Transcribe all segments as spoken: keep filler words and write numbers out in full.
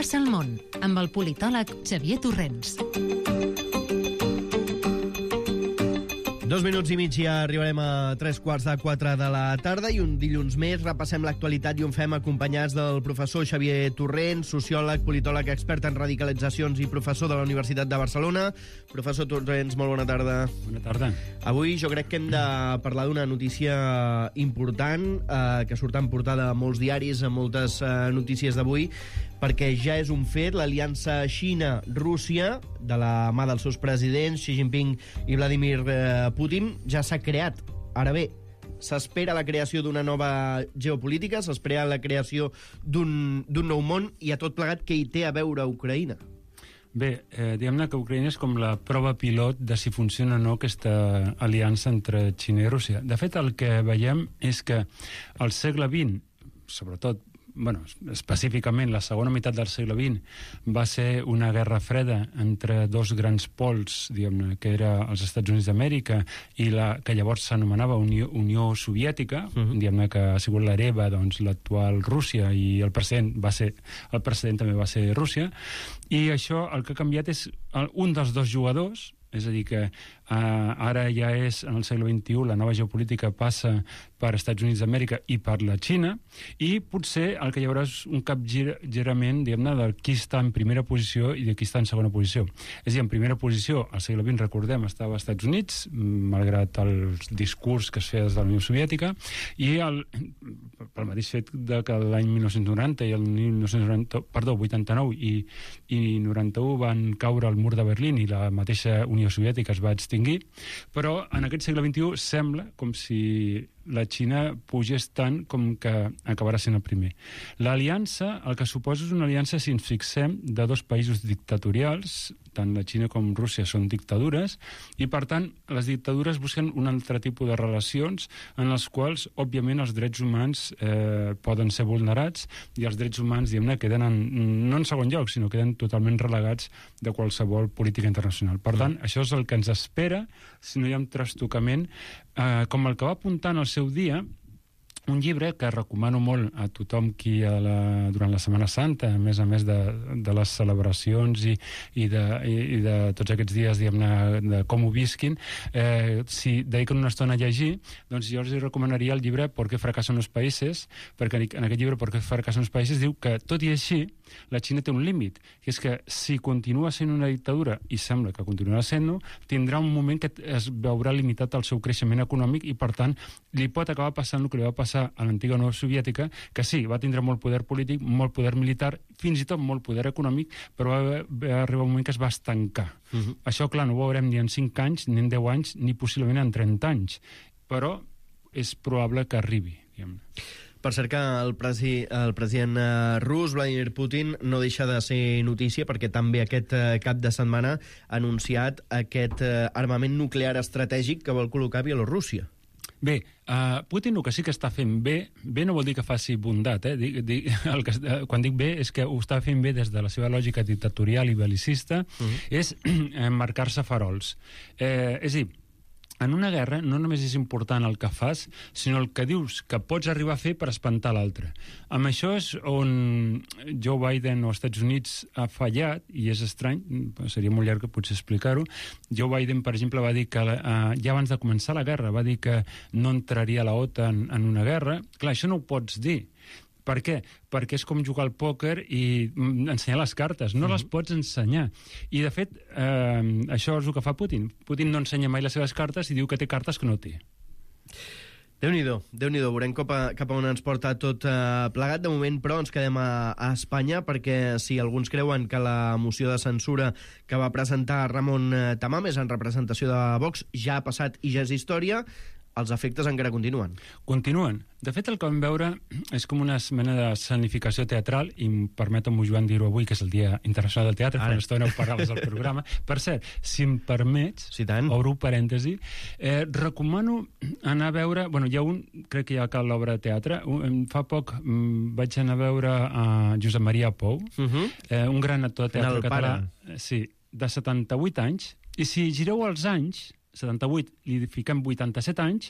passa al món, amb el politòleg Xavier Torrents. Dos minuts i mig i ja arribarem a tres quarts de quatre de la tarda i un dilluns més repassem l'actualitat i ho fem acompanyats del professor Xavier Torrents, sociòleg, politòleg, expert en radicalitzacions i professor de la Universitat de Barcelona. Professor Torrents, molt bona tarda. Bona tarda. Avui jo crec que hem de parlar d'una notícia important eh, que surt en portada a molts diaris, a moltes eh, notícies d'avui, perquè ja és un fet, l'aliança Xina-Rússia, de la mà dels seus presidents, Xi Jinping i Vladimir eh, Putin, ja s'ha creat. Ara bé, s'espera la creació d'una nova geopolítica, s'espera la creació d'un nou món, i a tot plegat, què hi té a veure Ucraïna? Bé, eh, diguem-ne que Ucraïna és com la prova pilot de si funciona o no aquesta aliança entre Xina i Rússia. De fet, el que veiem és que al segle vint, sobretot, bueno, específicament la segona meitat del segle vint, va ser una guerra freda entre dos grans pols, diguem-ne, que era els Estats Units d'Amèrica i la que llavors s'anomenava Unió, Unió Soviètica, uh-huh. diguem-ne que ha sigut l'hereva, doncs, l'actual Rússia, i el precedent va ser, el precedent també va ser Rússia, i això el que ha canviat és el, un dels dos jugadors, és a dir, que uh, ara ja és, en el segle vint-i-u, la nova geopolítica passa per Estats Units d'Amèrica i per la Xina, i potser el que hi haurà és un capgirament, diguem-ne, de qui està en primera posició i de qui està en segona posició. És a dir, en primera posició, al segle vint, recordem, estava als Estats Units, malgrat el discurs que es feia des de la Unió Soviètica, i el, pel mateix fet de que l'any mil nou-cents noranta i el mil nou-cents noranta, perdó, vuitanta-nou i, i noranta-u van caure al mur de Berlín i la mateixa Unió Soviètica es va extingir, però en aquest segle vint-i-u sembla com si la Xina pugés tant com que acabarà sent el primer. L'aliança, el que suposa és una aliança, si ens fixem, de dos països dictatorials, tant la Xina com Rússia són dictadures, i per tant les dictadures busquen un altre tipus de relacions en les quals, òbviament, els drets humans eh, poden ser vulnerats, i els drets humans, diguem-ne, queden en, no en segon lloc, sinó queden totalment relegats de qualsevol política internacional. Per tant, això és el que ens espera si no hi ha un trastocament, eh, com el que va apuntar en el seu dia un llibre que recomano molt a tothom qui a la, durant la Setmana Santa, a més a més de, de les celebracions i, i, de, i, i de tots aquests dies, diguem-ne, de com ho visquin, eh, si dediquen una estona a llegir, doncs jo els recomanaria el llibre ¿Por qué fracasan los países?, perquè en aquest llibre ¿Por qué fracasan los países? Diu que, tot i així, la Xina té un límit, que és que si continua sent una dictadura, i sembla que continuarà sent-ho, tindrà un moment que es veurà limitat el seu creixement econòmic i, per tant, li pot acabar passant el que li va passar a l'antiga Unió Soviètica, que sí, va tindre molt poder polític, molt poder militar, fins i tot molt poder econòmic, però va, va arribar un moment que es va estancar. Uh-huh. Això, clar, no ho veurem ni en cinc anys, ni en deu anys, ni possiblement en trenta anys, però és probable que arribi, diguem-ne. Per cert que el, presi, el president rus, Vladimir Putin, no deixa de ser notícia perquè també aquest cap de setmana ha anunciat aquest armament nuclear estratègic que vol col·locar a Bielorússia. Bé, uh, Putin el que sí que està fent bé, bé no vol dir que faci bondat, eh? dic, dic, el que, quan dic bé és que ho està fent bé des de la seva lògica dictatorial i belicista, uh-huh. és eh, marcar-se farols. Eh, és a dir, en una guerra no només és important el que fas, sinó el que dius que pots arribar a fer per espantar l'altre. Amb això és on Joe Biden o els Estats Units ha fallat, i és estrany, seria molt llarg potser explicar-ho. Joe Biden, per exemple, va dir que uh, ja abans de començar la guerra va dir que no entraria la OTAN en una guerra. Clar, això no ho pots dir. Per què? Perquè és com jugar al pòquer i ensenyar les cartes. No les pots ensenyar. I, de fet, eh, això és el que fa Putin. Putin no ensenya mai les seves cartes i diu que té cartes que no té. Déu-n'hi-do, Déu-n'hi-do. Veurem cap a, cap a on ens porta tot eh, plegat. De moment, però, ens quedem a, a Espanya, perquè si alguns creuen que la moció de censura que va presentar Ramon Tamames en representació de Vox ja ha passat i ja és història, els efectes encara continuen. Continuen. De fet, el que vam veure és com una mena de escenificació teatral, i em permeto-m'ho, Joan, dir-ho avui, que és el Dia Internacional del Teatre, fa una estona ho parlaves al programa. Per cert, si em permets, sí, obro parèntesi, eh, recomano anar a veure, bueno, hi ha un, crec que hi ha cal l'obra de teatre, un, fa poc um, vaig anar a veure a Josep Maria Pou, uh-huh. eh, un gran actor de teatre català, sí, de setanta-vuit anys, i si gireu els anys, setanta-vuit, li fiquem vuitanta-set anys,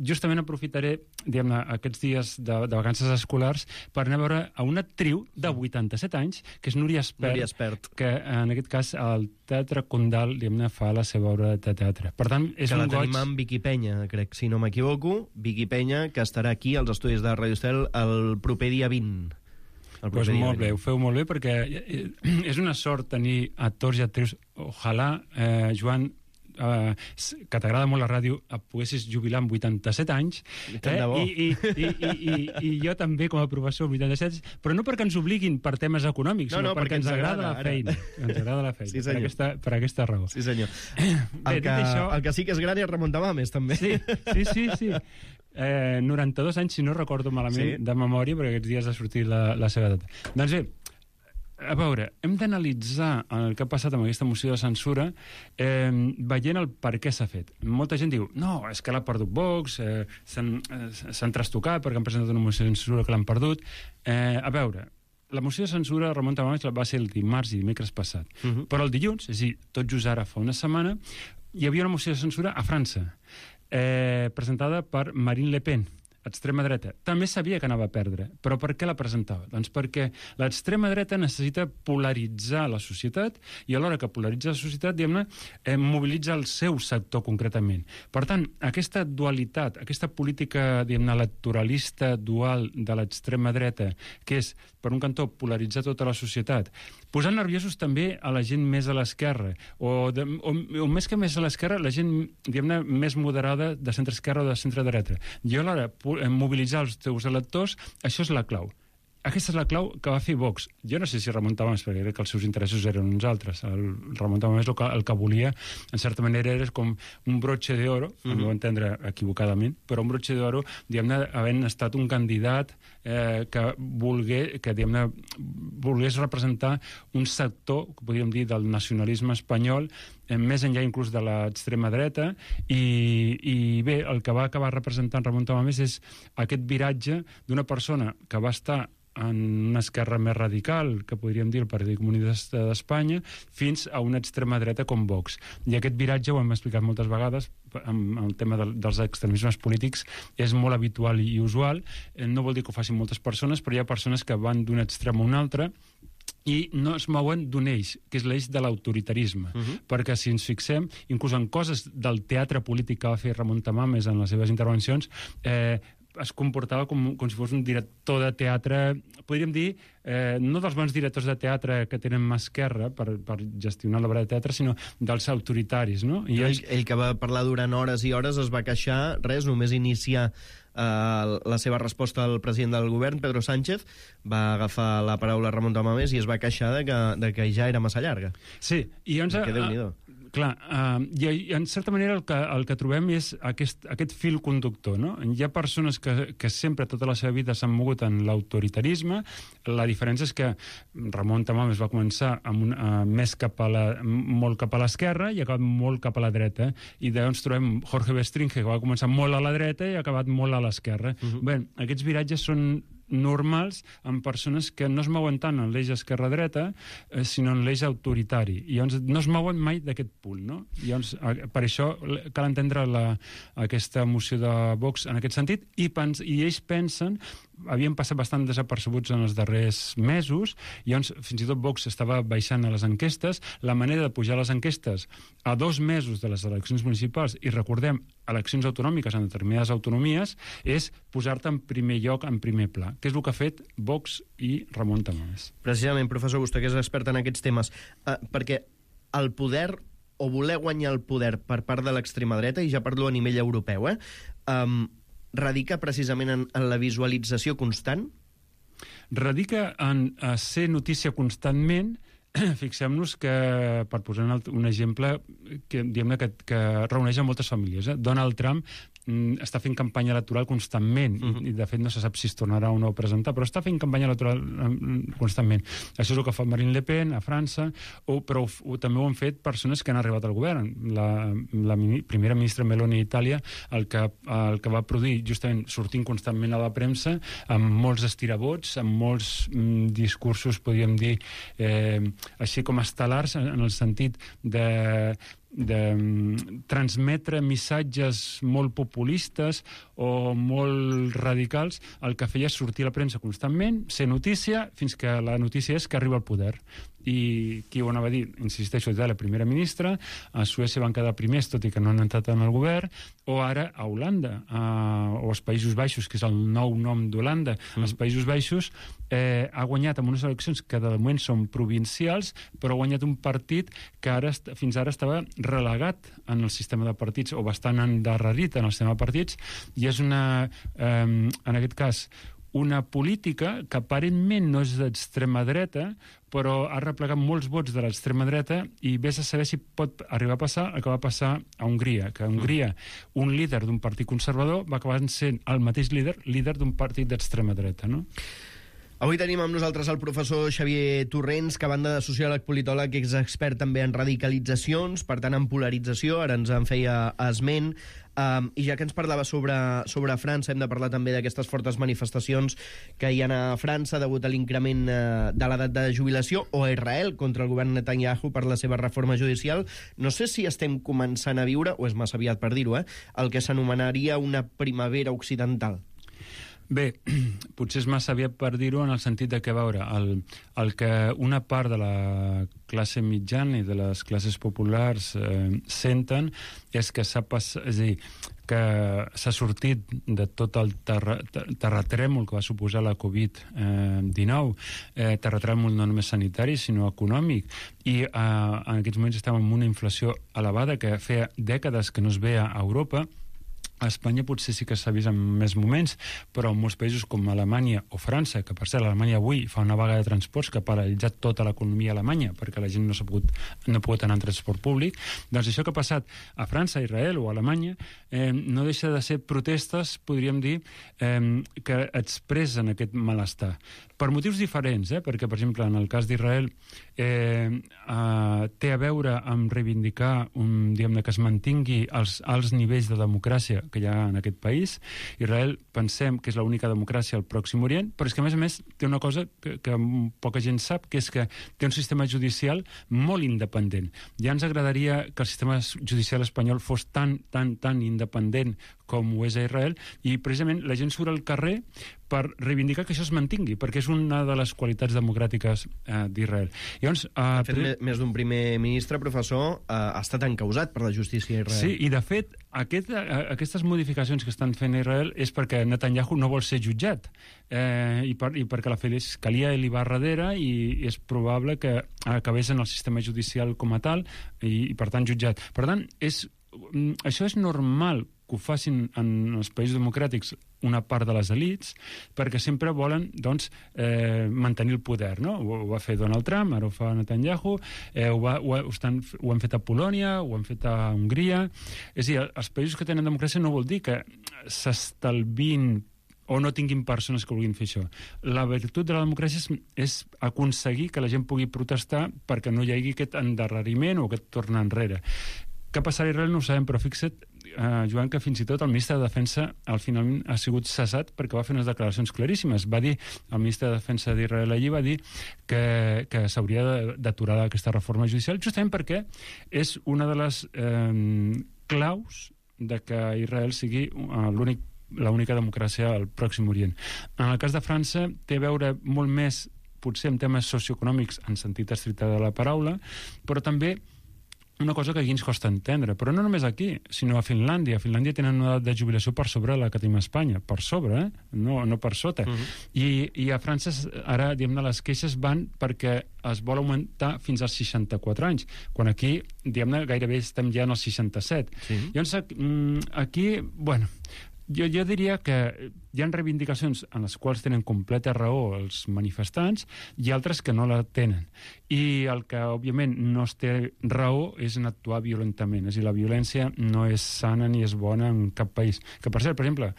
justament aprofitaré, diguem-ne, aquests dies de, de vacances escolars per anar a veure a una actriu de vuitanta-set anys, que és Núria Espert, Núria Espert. que en aquest cas al Teatre Condal, diguem-ne, fa la seva obra de teatre. Per tant, és que un la goig... tenim amb Vicky Penya, crec, si no m'equivoco. Vicky Penya, que estarà aquí als estudis de Radio Estel el proper dia vint. Doncs pues molt bé, ho feu molt bé, perquè és una sort tenir actors i actrius. Ojalà, eh, Joan, eh, que t'agrada molt la ràdio, et poguessis jubilar amb vuitanta-set anys, eh? I, i, i, i, i, i jo també com a professor vuitanta-set, però no perquè ens obliguin per temes econòmics, no, no, sinó perquè, perquè ens agrada, agrada la feina. Ens agrada la feina, sí, per, aquesta, per aquesta raó. Sí, senyor. Bé, el, que, això... el que sí que és gran és Ramon Tamames, també. Sí, sí, sí. sí. Eh, noranta-dos anys, si no recordo malament, sí. de memòria, perquè aquests dies ha sortit la, la seva data. Doncs bé, a veure, hem d'analitzar el que ha passat amb aquesta moció de censura eh, veient el per què s'ha fet. Molta gent diu, no, és que l'ha perdut Vox, eh, s'han eh, trastocat perquè han presentat una moció de censura que l'han perdut. Eh, a veure, la moció de censura, Ramon Tamames, va ser el dimarts i dimecres passat. Uh -huh. Però el dilluns, és a dir, tot just ara fa una setmana, hi havia una moció de censura a França, eh, presentada per Marine Le Pen, extrema dreta. També sabia que anava a perdre, però per què la presentava? Doncs perquè l'extrema dreta necessita polaritzar la societat i alhora que polaritza la societat, diguem-ne, eh, mobilitza el seu sector concretament. Per tant, aquesta dualitat, aquesta política, diguem-ne, electoralista dual de l'extrema dreta, que és, per un cantó, polaritzar tota la societat, posant nerviosos també a la gent més a l'esquerra, o, de, o, o més que més a l'esquerra, la gent, diguem-ne, més moderada de centre-esquerra o de centre-dreta. I alhora, mobilitzar els teus electors, això és la clau. Aquesta és la clau que va fer Vox. Jo no sé si Ramon Tamames, perquè crec que els seus interessos eren uns altres. El Ramon Tamames el que, el que volia, en certa manera, era com un broche d'oro, mm-hmm. al meu entendre equivocadament, però un broche d'oro, diguem-ne, havent estat un candidat eh, que volgué, que, diguem-ne, volgués representar un sector, que podríem dir, del nacionalisme espanyol, eh, més enllà inclús de l'extrema dreta, i, i bé, el que va acabar representant Ramon Tamames és aquest viratge d'una persona que va estar en una esquerra més radical, que podríem dir el Partit Comunista d'Espanya, fins a una extrema dreta com Vox. I aquest viratge, ho hem explicat moltes vegades, amb el tema de, dels extremismes polítics, és molt habitual i usual. No vol dir que ho facin moltes persones, però hi ha persones que van d'un extrem a un altre i no es mouen d'un eix, que és l'eix de l'autoritarisme. Uh-huh. Perquè si ens fixem, inclús en coses del teatre polític que va fer Ramon Tamames en les seves intervencions, eh, es comportava com, com si fos un director de teatre, podríem dir, eh, no dels bons directors de teatre que tenen mà esquerra per, per gestionar l'obra de teatre, sinó dels autoritaris, no? I ell, ell que va parlar durant hores i hores es va queixar, res, només iniciar eh, la seva resposta al president del govern, Pedro Sánchez, va agafar la paraula a Ramon Tamames i es va queixar de que, de que ja era massa llarga. Sí, i llavors... Que Déu-n'hi-do. Clar, uh, i, i en certa manera el que, el que trobem és aquest, aquest fil conductor, no? Hi ha persones que, que sempre tota la seva vida s'han mogut en l'autoritarisme. La diferència és que Ramon Tamames va començar amb un, uh, més cap a la, molt cap a l'esquerra i ha acabat molt cap a la dreta, i llavors trobem Jorge Bestringe, que va començar molt a la dreta i ha acabat molt a l'esquerra. Uh-huh. Bé, aquests viratges són normals en persones que no es mouen tant en l'eix esquerra-dreta, eh, sinó en l'eix autoritari. I llavors no es mouen mai d'aquest punt, no? I llavors, per això cal entendre la, aquesta moció de Vox en aquest sentit, i, pens, i ells pensen, havien passat bastant desapercebuts en els darrers mesos, i llavors fins i tot Vox estava baixant a les enquestes. La manera de pujar les enquestes a dos mesos de les eleccions municipals, i recordem, eleccions autonòmiques en determinades autonomies, és posar-te en primer lloc, en primer pla, que és el que ha fet Vox i Ramon Tamames. Precisament, professor, vostè que és expert en aquests temes, eh, perquè el poder, o voler guanyar el poder per part de l'extrema dreta, i ja parlo a nivell europeu, eh, um, radica precisament en, en la visualització constant? Radica en a ser notícia constantment. Fixem-nos que, per posar un exemple, que, diguem-ne que, que reuneix a moltes famílies. Eh? Donald Trump mm, està fent campanya electoral constantment, uh-huh. i, i de fet no se sap si es tornarà o no a presentar, però està fent campanya electoral mm, constantment. Això és el que fa Marine Le Pen a França, o, però o, o, també ho han fet persones que han arribat al govern. La, la mini, primera ministra Meloni d'Itàlia, el, que, el que va produir justament sortint constantment a la premsa, amb molts estirabots, amb molts mm, discursos, podríem dir, eh, així com estel·lars, en el sentit de, de transmetre missatges molt populistes o molt radicals, el que feia és sortir a la premsa constantment, ser notícia, fins que la notícia és que arriba al poder. I qui ho anava a dir? Insisteixo, de la primera ministra, a Suècia van quedar primers, tot i que no han entrat en el govern, o ara a Holanda, a, o als Països Baixos, que és el nou nom d'Holanda. Mm. Els Països Baixos eh, ha guanyat en unes eleccions que de moment són provincials, però ha guanyat un partit que ara fins ara estava relegat en el sistema de partits, o bastant endarrerit en el sistema de partits, i és una, eh, en aquest cas, una política que aparentment no és d'extrema dreta, però ha replegat molts vots de l'extrema dreta i vés a saber si pot arribar a passar el que va passar a Hongria, que a Hongria un líder d'un partit conservador va acabar sent el mateix líder, líder d'un partit d'extrema dreta, no? Avui tenim amb nosaltres el professor Xavier Torrents, que a banda de sociòleg, politòleg, és expert també en radicalitzacions, per tant en polarització, ara ens en feia esment, um, i ja que ens parlava sobre, sobre França, hem de parlar també d'aquestes fortes manifestacions que hi ha a França degut a l'increment uh, de l'edat de jubilació, o a Israel contra el govern Netanyahu per la seva reforma judicial. No sé si estem començant a viure, o és massa aviat per dir-ho, eh, el que s'anomenaria una primavera occidental. Bé, potser és massa aviat per dir-ho en el sentit de que, a veure, el, el que una part de la classe mitjana i de les classes populars eh, senten és que s'ha passat, és a dir, que s'ha sortit de tot el terra, terratrèmol que va suposar la covid dinou, eh, terratrèmol no només sanitari, sinó econòmic, i eh, en aquests moments estem en una inflació elevada que feia dècades que no es veia a Europa. A Espanya potser sí que s'ha vist en més moments, però en molts països com Alemanya o França, que per cert Alemanya avui fa una vaga de transports que ha paralitzat tota l'economia alemanya perquè la gent no s'ha pogut, no ha pogut anar en transport públic, doncs això que ha passat a França, Israel o Alemanya eh, no deixa de ser protestes, podríem dir, eh, que expressen aquest malestar. Per motius diferents, eh? Perquè, per exemple, en el cas d'Israel eh, eh, té a veure amb reivindicar un, diguem-ne, que es mantingui els alts nivells de democràcia que hi ha en aquest país. Israel pensem que és l'única democràcia al Pròxim Orient, però és que, a més a més, té una cosa que, que poca gent sap, que és que té un sistema judicial molt independent. Ja ens agradaria que el sistema judicial espanyol fos tan, tan, tan independent com ho és a Israel, i precisament la gent surt al carrer per reivindicar que això es mantingui, perquè és una de les qualitats democràtiques eh, d'Israel. Llavors, eh, de fet, pre... més d'un primer ministre, professor, eh, ha estat encausat per la justícia d'Israel. Sí, i de fet, aquest, eh, aquestes modificacions que estan fent a Israel és perquè Netanyahu no vol ser jutjat, eh, i, per, i perquè la fiscalia li va darrere, i, i és probable que acabés en el sistema judicial com a tal, i, i per tant jutjat. Per tant, és, això és normal que ho facin en els països democràtics una part de les elits, perquè sempre volen, doncs, eh, mantenir el poder, no? Ho, ho va fer Donald Trump, ara ho fa Netanyahu, eh, ho, va, ho, ho, estan, ho han fet a Polònia, ho han fet a Hongria. És a dir, els països que tenen democràcia no vol dir que s'estalvin o no tinguin persones que vulguin fer això. La virtut de la democràcia és, és aconseguir que la gent pugui protestar perquè no hi hagi aquest endarreriment o aquest tornar enrere. Què passarà a Israel no ho sabem, però fixa't, eh, Joan, que fins i tot el ministre de Defensa al final ha sigut cessat perquè va fer unes declaracions claríssimes. Va dir, el ministre de Defensa d'Israel allí va dir que, que s'hauria d'aturar aquesta reforma judicial, justament perquè és una de les eh, claus de que Israel sigui eh, l'únic l'única democràcia al Pròxim Orient. En el cas de França té a veure molt més, potser en temes socioeconòmics en sentit estricte de la paraula, però també una cosa que aquí ens costa entendre, però no només aquí, sinó a Finlàndia. A Finlàndia tenen una edat de jubilació per sobre la que tenim a Espanya, per sobre, eh? no, no per sota. Uh -huh. I, I a França ara, diguem-ne, les queixes van perquè es vol augmentar fins als seixanta-quatre anys, quan aquí, diguem-ne, gairebé estem ja en els seixanta-set. Sí. Llavors, aquí, bueno, jo, jo diria que hi ha reivindicacions en les quals tenen completa raó els manifestants i altres que no la tenen. I el que, òbviament, no es té raó és en actuar violentament. És a dir, la violència no és sana ni és bona en cap país. Que, per cert, per exemple,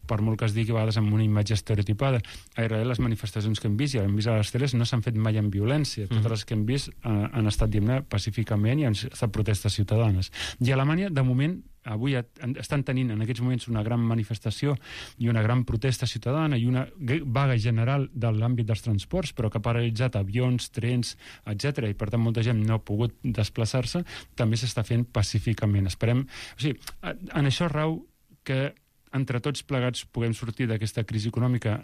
per molt que es digui a vegades amb una imatge estereotipada, a Israel les manifestacions que hem vist i hem vist a les teles no s'han fet mai amb violència. Totes mm. les que hem vist eh, han estat, diguem-ne, pacíficament i han estat protestes ciutadanes. I a Alemanya, de moment, avui estan tenint en aquests moments una gran manifestació i una gran protesta ciutadana i una vaga general de l'àmbit dels transports, però que ha paralitzat avions, trens, etcètera, i per tant molta gent no ha pogut desplaçar-se, també s'està fent pacíficament. Esperem... O sigui, en això rau que entre tots plegats puguem sortir d'aquesta crisi econòmica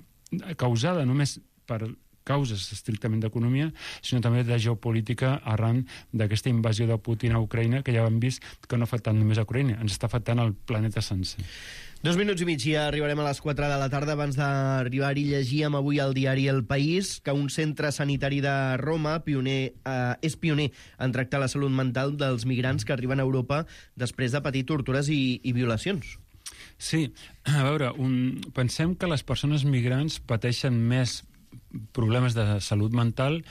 causada només per causes estrictament d'economia, sinó també de geopolítica arran d'aquesta invasió de Putin a Ucraïna, que ja hem vist que no afecta només a Ucraïna, ens està afectant el planeta sencer. Dos minuts i mig i arribarem a les quatre de la tarda. Abans d'arribar-hi llegíem avui al diari El País que un centre sanitari de Roma pioner, eh, és pioner en tractar la salut mental dels migrants que arriben a Europa després de patir tortures i, i violacions. Sí, a veure, un, pensem que les persones migrants pateixen més problemes de salut mental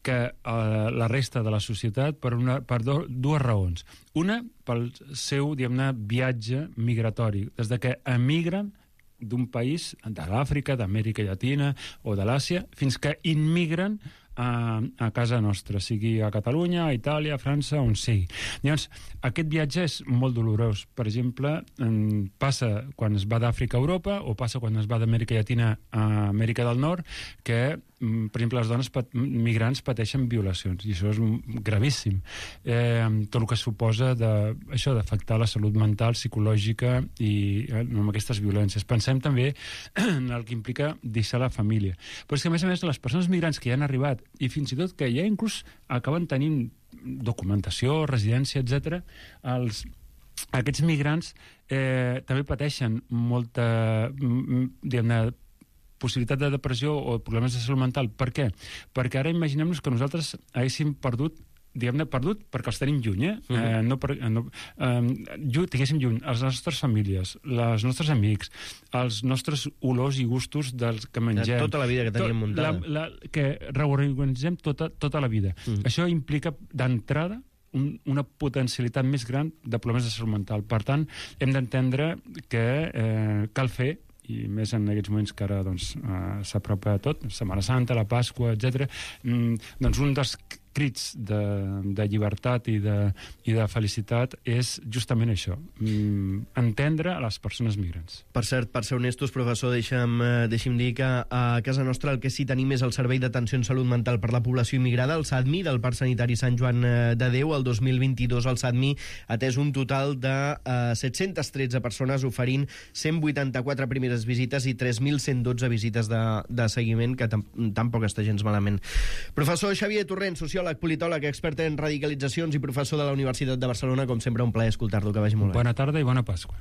que eh, la resta de la societat per, una, per do, dues raons. Una, pel seu, diguem-ne, viatge migratori. Des de que emigren d'un país, de l'Àfrica, d'Amèrica Llatina o de l'Àsia, fins que immigren a, a casa nostra, sigui a Catalunya, a Itàlia, a França, on sigui. Llavors, aquest viatge és molt dolorós. Per exemple, passa quan es va d'Àfrica a Europa o passa quan es va d'Amèrica Llatina a Amèrica del Nord, que, per exemple, les dones pat migrants pateixen violacions, i això és gravíssim. Eh, tot el que suposa de, això d'afectar la salut mental, psicològica i eh, amb aquestes violències. Pensem també en el que implica deixar la família. Però és que, a més a més, les persones migrants que ja han arribat i fins i tot que ja inclús acaben tenint documentació, residència, etcètera, els, aquests migrants eh, també pateixen molta, diguem-ne, possibilitat de depressió o problemes de salut mental. Per què? Perquè ara imaginem-nos que nosaltres haguéssim perdut diguem-ne, perdut perquè els tenim lluny, eh? Uh-huh. eh no per, no, eh, lluny, tinguéssim lluny les nostres famílies, els nostres amics, els nostres olors i gustos dels que mengem. Tota la vida que teníem muntada. La, la, que reorganitzem tota, tota la vida. Uh-huh. Això implica, d'entrada, un, una potencialitat més gran de problemes de salut mental. Per tant, hem d'entendre que eh, cal fer, i més en aquests moments que ara doncs, eh, s'apropa tot, Setmana Santa, la Pasqua, etcètera, mm, doncs un dels crits de, de llibertat i de, i de felicitat és justament això, mm, entendre les persones migrants. Per cert, per ser honestos, professor, deixa'm, eh, deixi'm dir que a casa nostra el que sí tenim és el Servei d'Atenció en Salut Mental per la Població Immigrada, el SADMI, del Parc Sanitari Sant Joan de Déu. El dos mil vint-i-dos el SADMI ha atès un total de eh, set-cents tretze persones, oferint cent vuitanta-quatre primeres visites i tres mil cent dotze visites de, de seguiment, que tampoc està gens malament. Professor Xavier Torrent, sociòleg, politòleg, expert en radicalitzacions i professor de la Universitat de Barcelona, com sempre un plaer escoltar-lo, que vagi molt bé. Bona tarda i bona Pasqua.